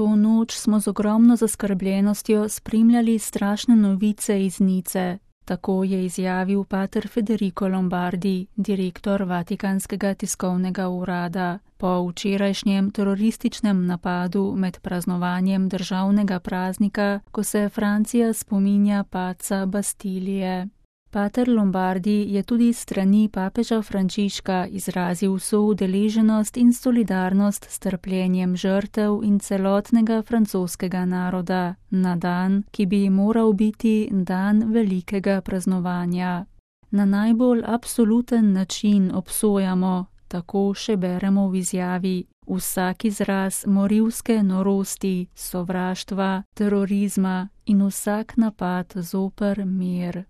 To noč smo z ogromno zaskrbljenostjo spremljali strašne novice iz Nice. Tako je izjavil pater Federico Lombardi, direktor Vatikanskega tiskovnega urada. Po včerajšnjem terorističnem napadu med praznovanjem državnega praznika, ko se Francija spominja padca Bastilije. Pater Lombardi je tudi s strani papeža Frančiška izrazil soudeleženost in solidarnost s trpljenjem žrtev in celotnega francoskega naroda na dan, ki bi moral biti dan velikega praznovanja. Na najbolj absoluten način obsojamo, tako še beremo v izjavi, vsak izraz morilske norosti, sovraštva, terorizma in vsak napad zoper mir.